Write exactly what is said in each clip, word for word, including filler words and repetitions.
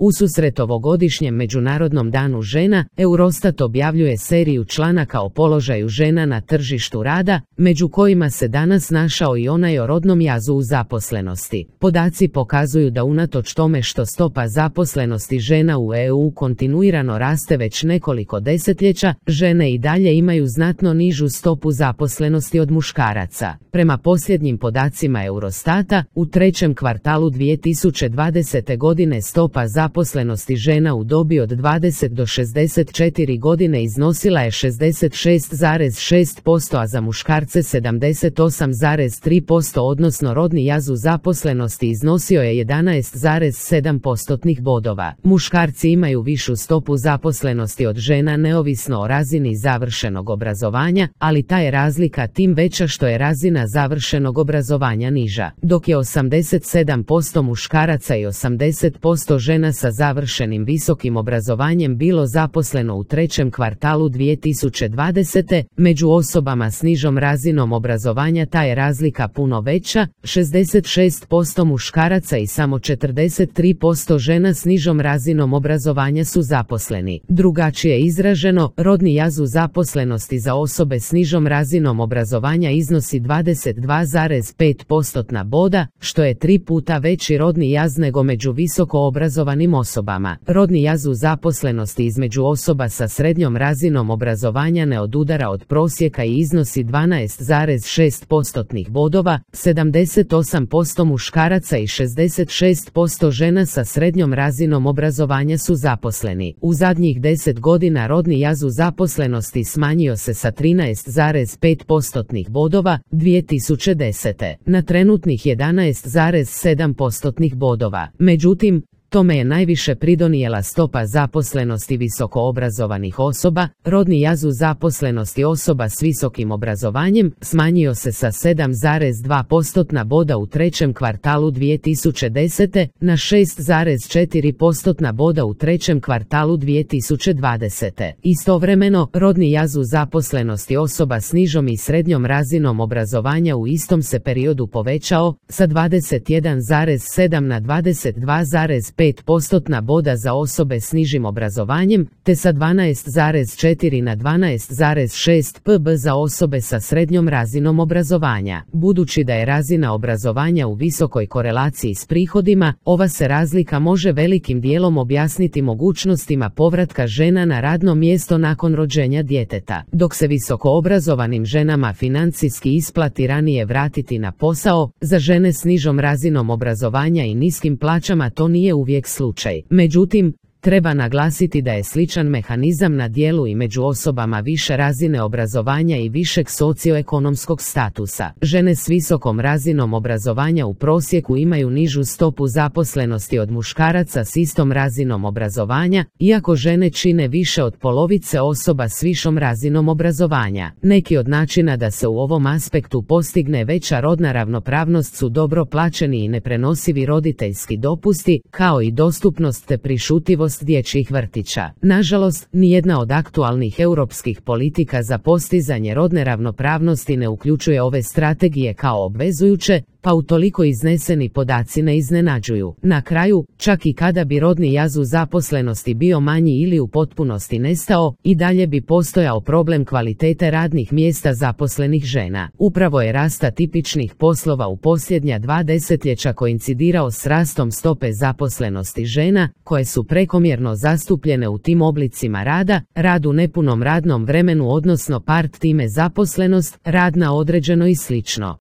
Ususret ovogodišnjem Međunarodnom danu žena, Eurostat objavljuje seriju članaka o položaju žena na tržištu rada, među kojima se danas našao i onaj o rodnom jazu u zaposlenosti. Podaci pokazuju da unatoč tome što stopa zaposlenosti žena u E U kontinuirano raste već nekoliko desetljeća, žene i dalje imaju znatno nižu stopu zaposlenosti od muškaraca. Prema posljednjim podacima Eurostata, u trećem kvartalu dvije tisuće dvadesete. godine stopa zaposlenosti žena u dobi od dvadeset do šezdeset četiri godine iznosila je šezdeset šest zarez šest posto, a za muškarce sedamdeset osam zarez tri posto, odnosno rodni jaz u zaposlenosti iznosio je jedanaest zarez sedam postotnih bodova. Muškarci imaju višu stopu zaposlenosti od žena neovisno o razini završenog obrazovanja, ali ta je razlika tim veća što je razina završenog obrazovanja niža. Dok je osamdeset sedam posto muškaraca i osamdeset posto žena sa završenim visokim obrazovanjem bilo zaposleno u trećem kvartalu dvije tisuće dvadesete. Među osobama s nižom razinom obrazovanja ta je razlika puno veća, šezdeset šest posto muškaraca i samo četrdeset tri posto žena s nižom razinom obrazovanja su zaposleni. Drugačije izraženo, rodni jaz u zaposlenosti za osobe s nižom razinom obrazovanja iznosi dvadeset dva zarez pet postotna boda, što je tri puta veći rodni jaz nego među visoko obrazovanim osobama. Rodni jaz u zaposlenosti između osoba sa srednjom razinom obrazovanja ne odudara od prosjeka i iznosi dvanaest zarez šest postotnih bodova, sedamdeset osam posto muškaraca i šezdeset šest posto žena sa srednjom razinom obrazovanja su zaposleni. U zadnjih deset godina rodni jaz u zaposlenosti smanjio se sa trinaest zarez pet postotnih bodova dvije tisuće desete. na trenutnih jedanaest zarez sedam postotnih bodova. Međutim, tome je najviše pridonijela stopa zaposlenosti visokoobrazovanih osoba. Rodni jaz u zaposlenosti osoba s visokim obrazovanjem smanjio se sa sedam zarez dva postotna boda u trećem kvartalu dvije tisuće desete. na šest zarez četiri postotna boda u trećem kvartalu dvije tisuće dvadesete. Istovremeno, rodni jaz u zaposlenosti osoba s nižom i srednjom razinom obrazovanja u istom se periodu povećao sa dvadeset jedan zarez sedam na dvadeset dva zarez pet postotna boda za osobe s nižim obrazovanjem, te sa dvanaest zarez četiri na dvanaest zarez šest pb za osobe sa srednjom razinom obrazovanja. Budući da je razina obrazovanja u visokoj korelaciji s prihodima, ova se razlika može velikim dijelom objasniti mogućnostima povratka žena na radno mjesto nakon rođenja djeteta. Dok se visokoobrazovanim ženama financijski isplati ranije vratiti na posao, za žene s nižom razinom obrazovanja i niskim plaćama to nije uvijek slučaj. Međutim, treba naglasiti da je sličan mehanizam na djelu i među osobama više razine obrazovanja i višeg socioekonomskog statusa. Žene s visokom razinom obrazovanja u prosjeku imaju nižu stopu zaposlenosti od muškaraca s istom razinom obrazovanja, iako žene čine više od polovice osoba s višom razinom obrazovanja. Neki od načina da se u ovom aspektu postigne veća rodna ravnopravnost su dobro plaćeni i neprenosivi roditeljski dopusti, kao i dostupnost te prišutljivost dječjih vrtića. Nažalost, nijedna od aktualnih europskih politika za postizanje rodne ravnopravnosti ne uključuje ove strategije kao obvezujuće, pa utoliko izneseni podaci ne iznenađuju. Na kraju, čak i kada bi rodni jaz u zaposlenosti bio manji ili u potpunosti nestao, i dalje bi postojao problem kvalitete radnih mjesta zaposlenih žena. Upravo je rast atipičnih poslova u posljednja dva desetljeća koincidirao s rastom stope zaposlenosti žena, koje su prekomjerno zastupljene u tim oblicima rada, rad u nepunom radnom vremenu odnosno part-time zaposlenost, rad na određeno i slično.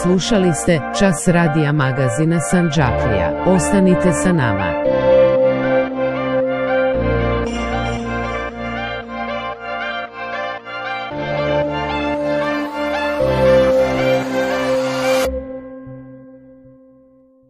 Slušali ste Čas radija magazina Sandžaklija. Ostanite sa nama.